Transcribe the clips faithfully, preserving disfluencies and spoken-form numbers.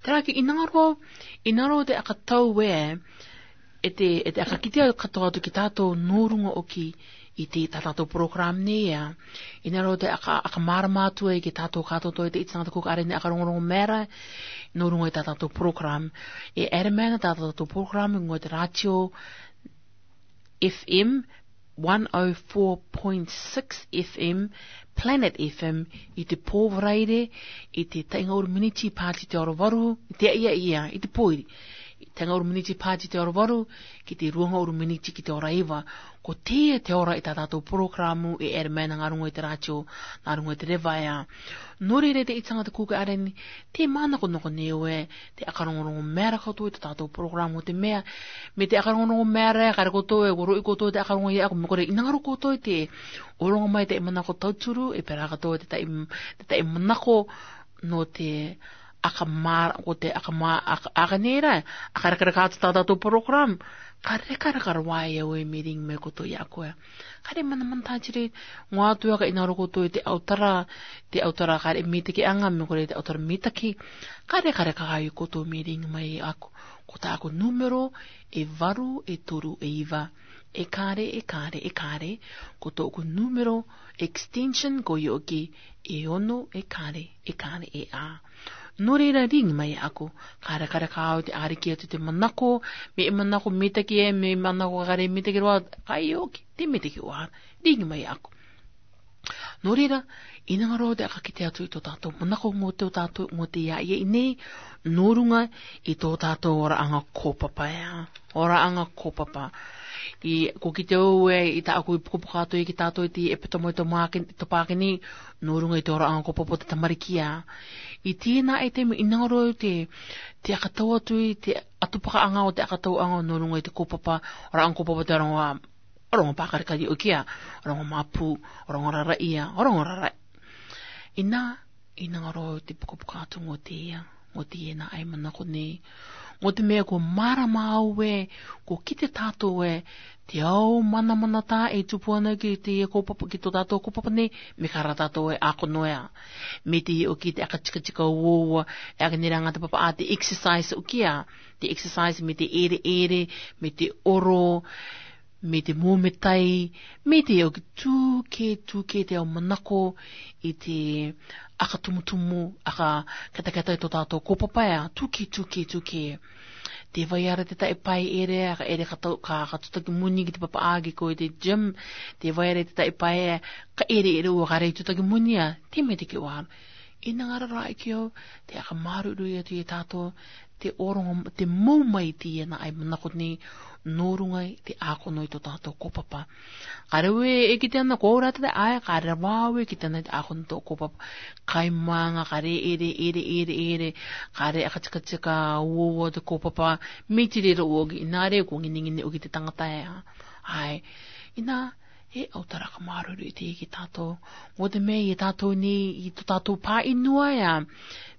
Tera ki inanga ro, inanga ro te aka tau e, e te, e te aka kitea katoa atu ki tatou nō ruŋa ʻoki i te tā tātou program nei ia. Inanga ro te aka, aka marama atu e ki tatou katoa atu e te ʻiti taŋata kūkaʻi ʻārearea aka rongorongo mēra, nō ruŋa i tā tātou program. E ʻere mai na tā tātou program, nō te rātio F M, one oh four point six F M, Planet F M, i te pō Varaire, i te tainga uru miniti pāti te ora varu, i te ia ia, i te pōiri. I tainga uru miniti pāti te ora varu, ki te ruaŋa uru miniti ki te ora iva. Ko teie te ora i tā tātou program e ʻere mai na ŋā ruŋa i te rātio, ŋā ruŋa i te reva ia. Nō reira te ʻiti taŋata kūkaʻi ʻārearea, te manakonako nei au e, te aka rongorongo mēra katoa i tō tātou program ʻo te meʻa, mei te aka rongorongo mēra, ka reko tō e, ko roʻi katoa te aka rongo ia, ko mea kore, inanga ro katoa i te, ʻo rongo mai te manako tauturu, e pērā katoa te taʻi, te taʻi manako, nō te aka mā, ko te aka mā, aka, aka nei ra, aka rekareka atu tā tātou program, ka rekareka ra vā ia au e mei riŋi mai katoa ia koe. Ka re manamana tā tiri, ŋoa atu ia ka inanga ro katoa i te ʻautara, te ʻautara ka re mitaki aŋa, mea kore te ʻautara mitaki, ka rekareka ai katoa mei riŋi mai aku. Ko tāʻaku nūmero, e varu, e toru, e iva, e kare, e kare, e kare, ko tōʻaku nūmero, extension, ko ʻiʻo ki, e ono, e kare, e kare, e ā. Nō reira riŋi mai aku, ka rekareka au te ʻariki atu te manako, mei manako mitaki e, mei manako ka re mitaki roa, ka ʻiʻo ki, te mitaki ʻoa, riŋi mai aku. Nō reira, inanga ro te aka kitea atu i tō tātou manako ŋo te ʻo tātou, ŋo te ia ia i nei, nō ruŋa i tō tātou oraaŋa kōpapa ia. Oraaŋa kōpapa. I, ko kitea au e, i tāʻaku i pukapuka atu e ki tātou i te ʻepitome ʻo Topākene, Topākene, nō ruŋa i te oraaŋa kōpapa ʻo te tamariki ia. I teie nā e te mea inanga ro te, te aka tau atu i te atu pakaaŋa ʻo te aka tau aŋa nō ruŋa i te kōpapa, oraaŋa kōpapa te rongo a, rongo pākarikari ʻoki ia, rongo mapu, rongo raraʻi ia, rongo raraʻi. Inā, inanga ro te pukapuka atu ŋo teie, ŋo teie nā ai manako nei. Ŋo te meʻa ko marama au e, ko kite tātou e, te au manamana tā e tupu ana ki te kōpapa, ki tō tātou kōpapa nei, mei ka ra tātou e ʻākono ia. Mei te ʻiʻo ki te aka tikatika uoua, e aka nei ra ŋā te papaā te exercise ʻoki ia. Te exercise mei te ʻereʻere, mei te oro, mei te mōmetai, mei te ʻoki tūkē, tūkē te au manako i te aka tumutumu, aka ketaketa i tō tātou kōpapa ia, tūkē, tūkē, tūkē. Tē vai ra te taʻe pae ʻere, aka ʻere ka tau, ka, ka tutaki muni ki te papaā ki ko i te gym, tē vai ra te taʻe pae, ka ʻereʻere ʻoua ka re tutaki muni ia, te mea te ke ʻoa. Inanga ra rā ʻoki au, te aka māruirui atu ia tātou, te ʻorongo, te mou mai teie nā ai manako nei, nō ruŋa i te ʻākono i tō tātou kōpapa. Ka re au e kitea na ko au rā te tae, ʻae, ka re vā au e kitea na te ʻākono tō kōpapa. Kai māŋa, ka re ʻere, ʻere, ʻere, ʻere, ka re aka tikatika uoua te kōpapa, mei tire ra ʻoki, inā re ko ŋineŋine ʻoki te taŋata ia. ʻAe, inā, e au taraka māuruuru i teie ki tātou. ʻO te meʻa ia tātou nei, i tō tātou pāʻinua ia.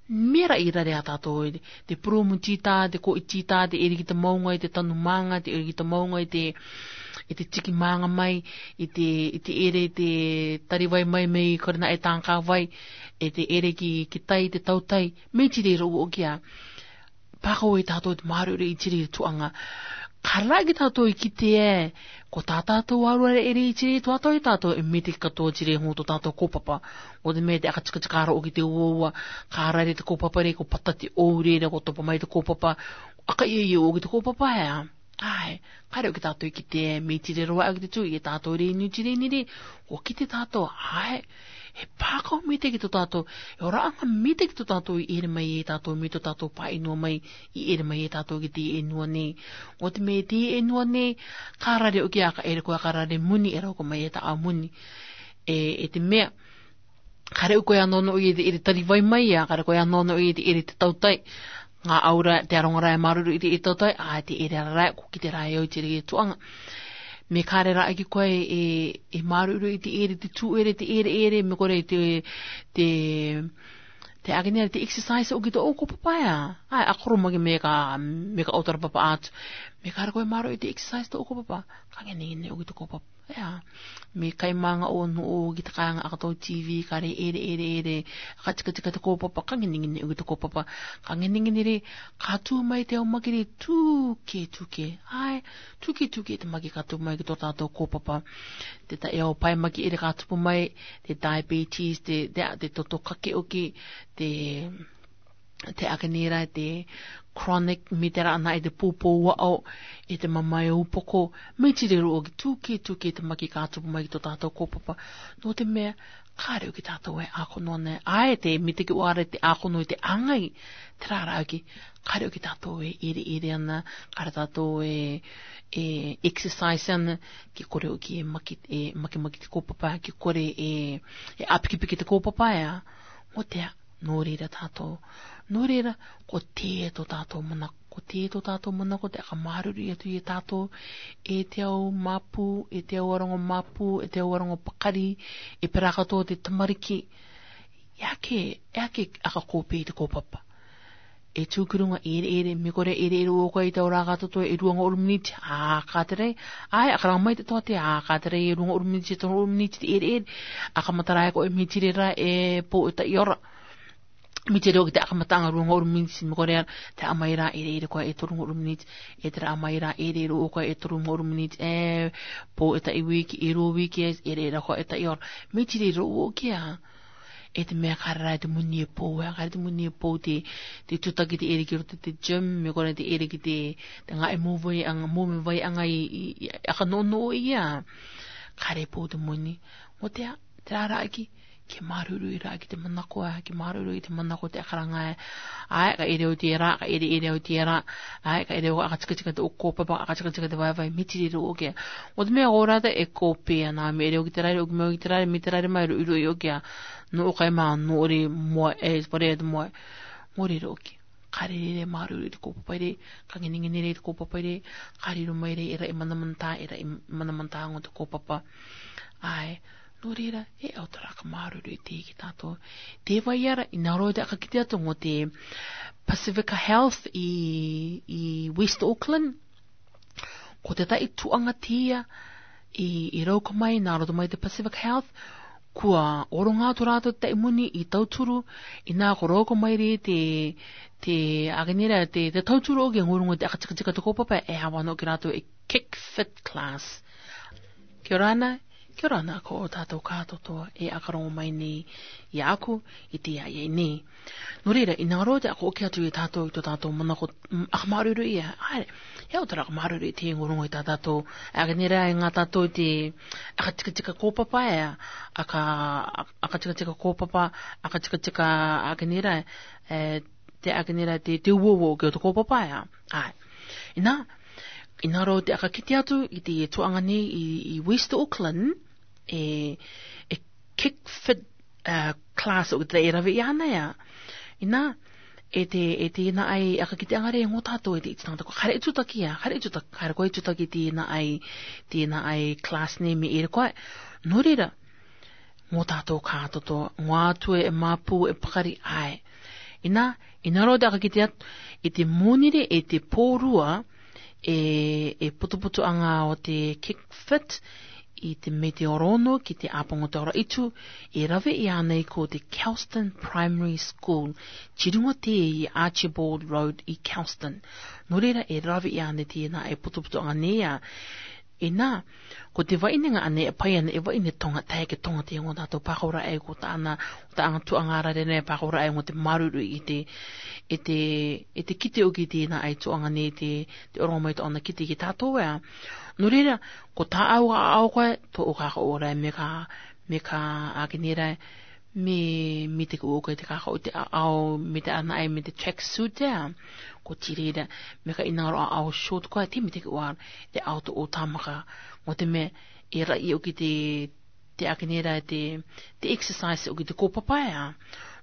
Mera i rare a tātou, te purūmu tita, te koʻi tita, te ʻere ki te maunga i te tanu māŋa, te ʻere ki te maunga i te, i te tiki māŋa mai, i te, i te ʻere te tari vai mai mei kore naʻe tākā vai, e te ʻere ki, ki tai, te tautai, mei tire ra ʻoki ia. Pakao e tātou te māuruuru i tire i tuaŋa. Ka rā ki tātou i kite e, ko tā tātou arua ʻere i tire i tuatātou e tātou e mete katoa tire hō tō tātou kōpapa. ʻO te meʻa te aka tikatika ra ʻoki te uaua, ka rare te kōpapa re, ko pata te ʻoure ra, ko topa mai te kōpapa, aka ia ia ʻoki te kōpapa e a. ʻAe, ka rā ki tātou i kite e, mei tire ra ʻoki te tū, i tātou re inu tire ni re, ko kite tātou, ʻae, he pakao mete ki tō tātou, he oraaga mete ki tō tātou i ʻere mai e tātou, mei tō tātou pāʻinua mai, i ʻere mai e tātou ki te ʻenua nei. ʻO te meʻa te ʻenua nei, ka rare ʻoki aka ʻere koe aka rare muni, e rau ko mai e ta a muni. E, e te meʻa, ka rā koe anō nō i te ʻere tari vai mai ia, ka rā koe anō nō i te ʻere te tautai. Ŋā aura te aronga ra e māuruuru i te ʻere tautai, ʻae te ʻere ra ra, ko kite ra e au i tire i tuaŋa. Mei ka rā ʻaki koe e, e māuruuru i te ʻere te tū ʻere, te ʻere ʻere, mei kore te, te, te ake nei ra te exercise ʻoki tō ʻou kōpapa ia. ʻAe, a koro maki mei ka, mei ka ʻautara papa atu. Mei ka rā koe māuruuru i te exercise tō ʻou kōpapa, ka ŋineŋine ʻoki tō kōpapa. Ea, me kaimanga o no o ki te kanga aka tau TV, kare ere, ere, ere, aka tika tika te kaupapa, ka ngene ngene o ki te kaupapa, ka ngene ngene re, ka tū mai te ao maki re, tū ke, tū ke, ai, tū ke, tū ke te maki ka tū mai ki to tato kaupapa. Te ta e ao pai maki ere ka tupu mai, te diabetes, te, te, te toto kake oki, te, te akenira, te chronic, me te rana e te pūpō wao, e te mamae upoko, me tire ro oki tū ke, tū ke te maki ka tupu mai ki to tato kaupapa. No te mea, kare oki tato e ako no ne, ae te, me te ki ware te ako no i te angai, te rara oki, kare oki tato e, ere, ere ana, kare tato e, e, exercise ana, ki kore oki e maki, e, maki, maki te kaupapa, ki kore e, e apiki, piki te kaupapa ea, mo te a, Nō reira tātou. Nō reira, ko tē tō tātou manako, ko tē tō tātou manako te aka māuruuru atu i a tātou, e te ao māpū, e te ao aronga māpū, e te ao aronga pakari, e pērā katoa te tamariki. E ake, e ake aka kōpē i te kōpapa. E tū ki runga ere ere, me kore ere ere o koe i te ao rā ka toto e rua nga uru miniti, ā, ka tere, ai, aka rā mai te toa te, ā, ka tere e rua nga uru miniti, e toru nga uru miniti te ere ere, aka matara e koe me tire rā e pō e ta'i ora. Me tire o ki te aka mataanga rua nga uru miniti, me kore te a mai rā ere ere koe e toru nga uru miniti, e te rā a mai rā ere ere o koe e toru nga uru miniti, e pō e ta'i wiki, e rua wiki, e ere ere koe e ta'i ora. Me tire ro o ki a. E te mea kare rā e te moni e pō, e kare te moni e pō te, te tutaki te ere ki roto te gym, me kore te ere ki te, te nga e mō vai anga, mō me vai anga i, i, i, aka nō nō i a. Kare pō te moni. Mo te a, te rā rā ki, ke māuruuru i rā ki te manako a, ke māuruuru i te manako te aka ranga e. Ai, ka ere o te rā, ka ere ere o te rā. Ai, ka ere o aka tika tika te o kōpapa, aka tika tika te vai vai, me tire ro o ke. O te mea o rā te e kōpē ana, me ere o ki te rā, o ki me o ki te rā, me te rā mai ro, ro i o ke a. Nō o kai mā, nō ore moe, e, pare te moe. Mo re ro ki. Kare re re māuruuru i te kōpapa re, ka ngene ngene re te kōpapa re, ka riro mai re, era e manamanta, era e manamanta ngo te kōpapa. Ai, nō reira, e au tara ka māuruuru i te ki tātou. Te vai ara, i nā roa te aka kite atu ngo te Pacifica Health i, i West Auckland. Ko te tai tuanga tia i, i rauka mai, nā roto mai te Pacific Health, kua oronga atu rātou te tai moni i tauturu, i nā ko rauka mai re te, te akenera, te, te tauturu o ke ngurungo te aka tika tika te kōpapa, e hawa no ki rātou e Kick Fit class. Kia ora ana, kia ora ana ko tātou ka toto e aka rongo mai nei i aku, i te ia ia nei. Nō reira, i nā roa te aka oki atu i tātou, i tō tātou manako, mm, aka māuruuru ia, ai, e au tara aka māuruuru i te ngurungo i tā tātou, akenera e ngā tātou te, aka tika tika kōpapa e, aka, aka tika tika kōpapa, aka tika tika akenera, e, te akenera te, te uo uo ke o te kōpapa e, ai. I nā, i nā roa te aka kite atu, i te tuanga nei i, i West Auckland, e, e Kick Fit, e, class o te e rave i ana ia. I nā, e te, e te nā ai aka kite anga re ngo tātou e te iti tangata ko kare i tutaki ia, kare i tutaki, kare ko i tutaki te nā ai, te nā ai class nei me ere koe. Nō reira, ngo tātou ka toto, ngo atu e māpū e pakari ai. I nā, i nā roa te aka kite atu, i te mōnire, i te pōrua, e, e putuputu anga o te Kick Fit, i te me te orono ki te apango te ora itu, e rave i ana i ko te Kelston Primary School, tirunga te i Archibald Road i Kelston. Nō reira e rave i ana te nā e putuputu anga nei a, e nā, ko te vaine nga ane e pai ana e vaine tonga tae ke tonga te ngo tātou pākaura e ko tāna, ko tāna tuanga rare nei pākaura e ngo te māuruuru i te, e te, e te kite o ki te nā ai tuanga nei te, te orongo mai tō ana kite ki tātou e. Nō reira, ko tā au a au koe, tō o ka ka ora e me ka, me ka akenera e, me, me te ko o koe te ka ka o te a au, me te ana ai, me te track suit e. Ko ti reira, me ka i nā roa a au short koe, te me te ko ar, te au tō o tāmaka, ngo te me, e ra i o ki te, te akenera te, te exercise o ki te kōpapa e.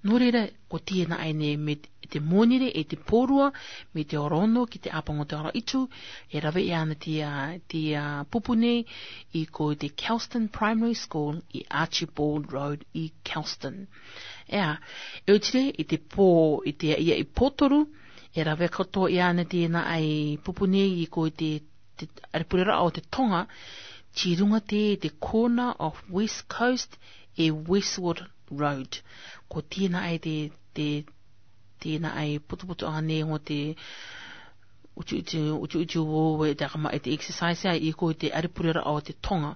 Nō reira, ko te nā ai nei me te mōnire e te pōrua, me te orono ki te apango te ora itu, e rave i ana te, a, te, a, pupu nei, i ko te Kelston Primary School, i Archibald Road, i Kelston. E a, e o tire, i te pō, i te ia i pōtoru, e rave koto i ana te nā ai pupu nei, i ko te, te, are purera o te tonga, Ti runga te, te corner of West Coast e Westward Road. Ko tina ai te, te, tina ai putuputu anga ne ngo te uti uti, uti uti wo we te akama e te exercise ai i ko te aripurera o te tonga.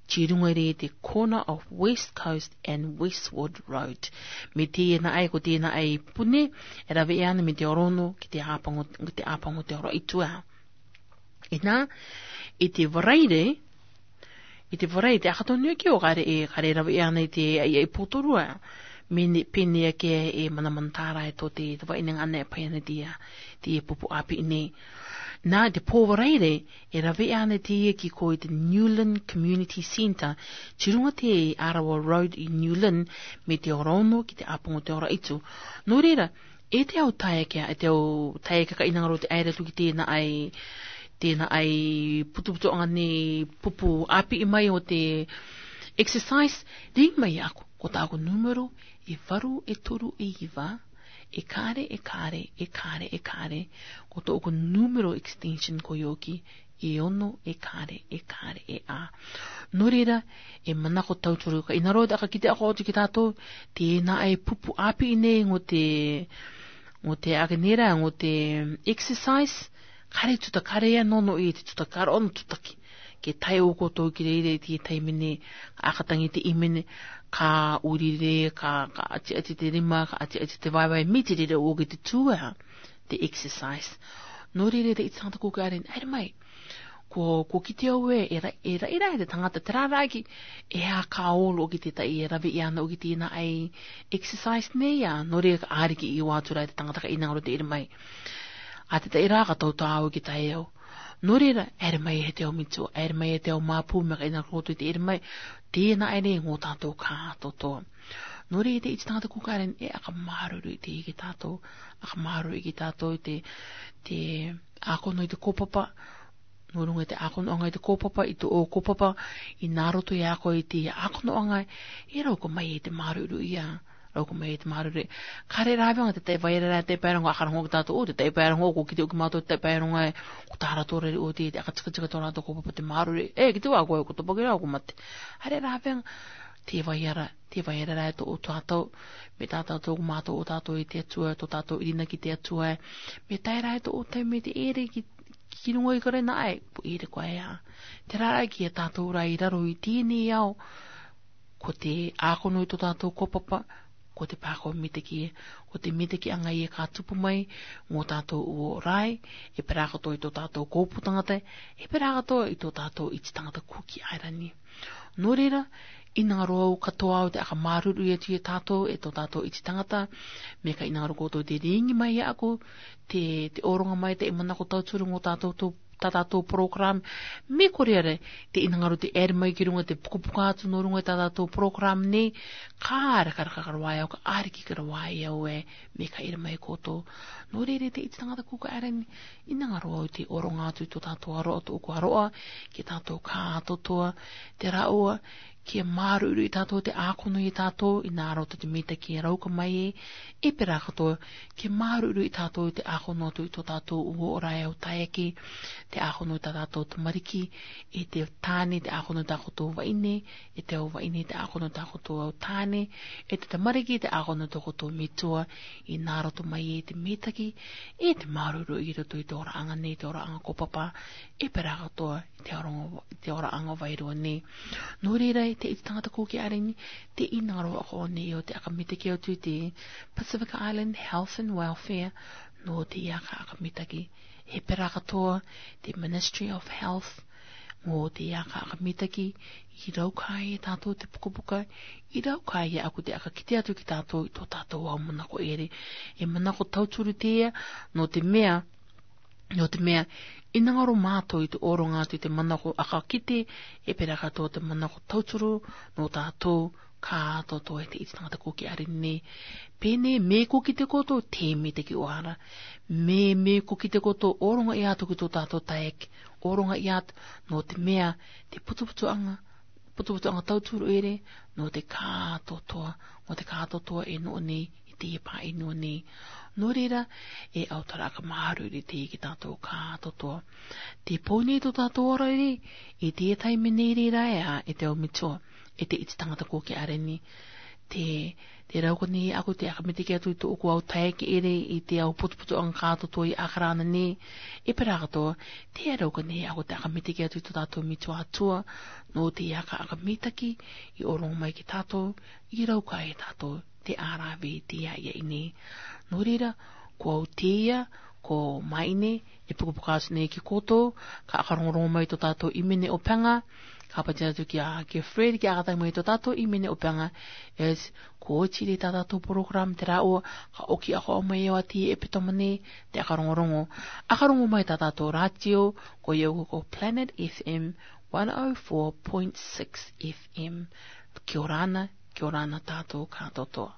Ti runga re te corner of West Coast and Westward Road. Me tina ai ko tina ai pune, era ve ana me te orono, ki te apango, ki te apango te ora itua. Ina, i te Varaire, i te Varaire, te akatonu ki o kare e, kare rave ana i te, ai, ai potorua. Mene, pene ake e manamanatara e to te, te vai nengane e pai ana tia, te pupu api ne. Na, te po Varaire, e rave ana tia ki ko i te Newland Community Centre, ti runga te Arawa Road i Newland, me te ora ono, ki te apango te ora itu. No reira, e te au tae kia, e te au tae kia ka inangaro te aira tu ki tena ai, tena ai putuputu anga ne pupu api i mai o te exercise, ring mai aku, ko ta ko numero, e varu, e toru, e iva, e kare, e kare, e kare, e kare, ko to ko numero extension ko yoki, e ono, e kare, e kare, e a. No reira, e manako tauturu ka inaro te aka kite ako atu ki tatou, tena ai pupu api i ne ngo te, ngo te ake nera, ngo te exercise, kare tuta kare ia nono i te tuta kare ono tuta ki. Ke tai o ko to ki reire te tai mene, aka tangi te imene, ka urire, ka, ka ati ati te rima, ka ati ati te vaivai, miti reire o ki te tua, te exercise. No reire te iti tangata ko karen, ai mai. Ko, ko kite o e, era, era, era, te tangata te raraki, e a ka olo ki te tai, era ve iana o ki te ina ai exercise ne ia, no reira ka ari ki i watura te tangata ka inangaro te era mai. A te tai ra ka tau tau ki tai o. No reira, era mai e te o mitu, era mai e te o mapu, me ka inangaro te era mai, tena ai ne ngo tatou ka toto. No reira te iti tangata ko karen, e aka maruru i te ki tatou, aka maruru i ki tatou i te, te, ako no i te kopapa, no runga i te ako no anga i te kopapa, i to o kopapa, i naro to i ako i te ako no anga, e rau ko mai e te maruru ia, rau ko mai e te maruru. Kare ra vanga te tai vai ra te pai ronga, aka rongo ki tatou, o te tai pai ronga, ko kite o ki matou te tai pai ronga, ko tara to re o te, te aka tika tika to ra to kopapa te maruru. E, kite wa ko, ko to pagi ra ko mate. Are ra vanga, te vai ra, te vai ra to o tatou, me tatou to ko matou o tatou i te Atua, to tatou i rina ki te Atua. Me tai ra to o tai me te ere ki, ki runga i kare na ai, po ere ko ai a. Te rara ki a tatou ra i raro i tini au, ko te ako no i to tatou kopapa, ko te pako mitaki, ko te mitaki anga ia ka tupu mai, mo tatou uo rai, e pera katoa i to tatou kopu tangata, e pera katoa i to tatou iti tangata Kuki Airani. No reira, i nangaro au katoa au te aka maruru ia tu ia tatou, e to tatou iti tangata, me ka i nangaro koto te ringi mai ia aku, te, te oronga mai te i manako tauturu ngo tatou to, ta tatou program, me ko reira, te i nangaro te ere mai ki runga te pukapuka atu no runga ta tatou program ne, ka ara ka ara ka rawai au, ka ara ki ka rawai au e, me ka ere mai koto. No reira te iti tangata Kuki Airani, i nangaro au te oronga atu i to tatou aroa, to ko aroa, ki tatou ka totoa, te raoa, ke maruru i tatou te ako no i tatou, i naro to te mitaki rau ka mai e, e pera katoa, ke maruru i tatou te ako no atu i to tatou uo ora e au tae ki, te ako no ta tatou tamariki, e te tane te ako no ta koto vaine, e te au vaine te ako no ta koto au tane, e te tamariki te ako no ta koto mitua, i naro to mai e te mitaki, e te maruru i roto i te ora anga ne, te ora anga kopapa, e pera katoa, te ora, te ora anga vairua ne. No reira, te iti tangata Kuki Airani, te i nangaro ako ne o te aka mitaki au tu te Pacific Island Health and Welfare, no te i aka aka mitaki. E pera katoa, te Ministry of Health, mo te i aka aka mitaki, i rau ka ia tatou te pukapuka, i rau ka ia aku te aka kite atu ki tatou, i to tatou au manako ere. E manako tauturu te ia, no te mea, no te mea, i nangaro matou i te oronga atu i te manako aka kite, e pera katoa te manako tauturu, no tatou, ka totoa e te iti tangata Kuki Airani ne. Pene, me ko kite koto, te mitaki o ara. Me, me ko kite koto, oronga i atu ki to tatou taek, oronga i atu, no te mea, te putuputu anga, putuputu anga tauturu ere, no te ka totoa, no te ka totoa e no ne, i Teie pāʻi nua nei. Nō reira, e ʻautora aka māuruuru teie ki tātou kātoa. Te pō nei tō tātou ora nei, i teie taime nei reira e a, e te ao metua, e te iti tangata kōkē are nei. Te, te rauka nei ʻaku te aka mitiki atu i tō ʻoku au tae ki ere i te ao putuputu anga kātoa i ʻAkarana nei, e pera katoa, te rauka nei ʻaku te aka mitiki atu i tō tātou metua Atua, nō te aka aka mitaki, i ʻōroŋo mai ki tātou, i rauka e tātou, te ʻarave te ia ia i nei. Nō reira, ko au teie, ko Maine, e pukapuka atu nei ki koutou, ka aka rongorongo mai tō tātou ʻīmene ʻo Pega, ka pātia atu ki a, ki Fred, ki aka tae mai tō tātou ʻīmene ʻo Pega, es, ko oti rē tā tātou program te rāua, ka ʻoki ako mai e wati e petoma nei, te aka rongorongo. Aka rongo mai tā tātou rātio, ko ia ko Planet F M, one oh four point six F M. Kia ora na, kia ora na tātou kātoa.